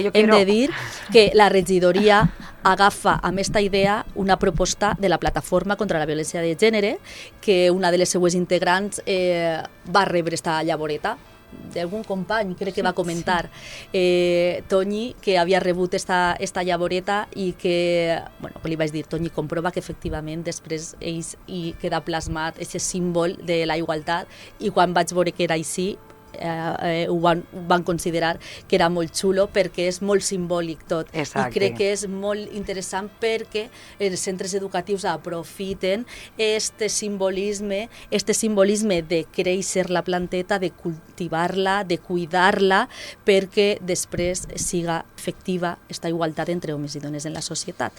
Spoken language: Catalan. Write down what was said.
Hem de dir que la regidoria agafa amb aquesta idea una proposta de la Plataforma contra la Violència de Gènere, que una de les seues integrants va rebre esta llavoreta d'algun company, crec que va comentar, Toñi, que havia rebut esta llavoreta i que li vaig dir, Toñi, comprova que efectivament després hi queda plasmat aquest símbol de la igualtat, i quan vaig veure que era així ho van considerar que era molt xulo perquè és molt simbòlic tot. Exacte. I crec que és molt interessant perquè els centres educatius aprofiten este simbolisme de créixer la planteta, de cultivar-la, de cuidar-la, perquè després siga efectiva esta igualtat entre homes i dones en la societat.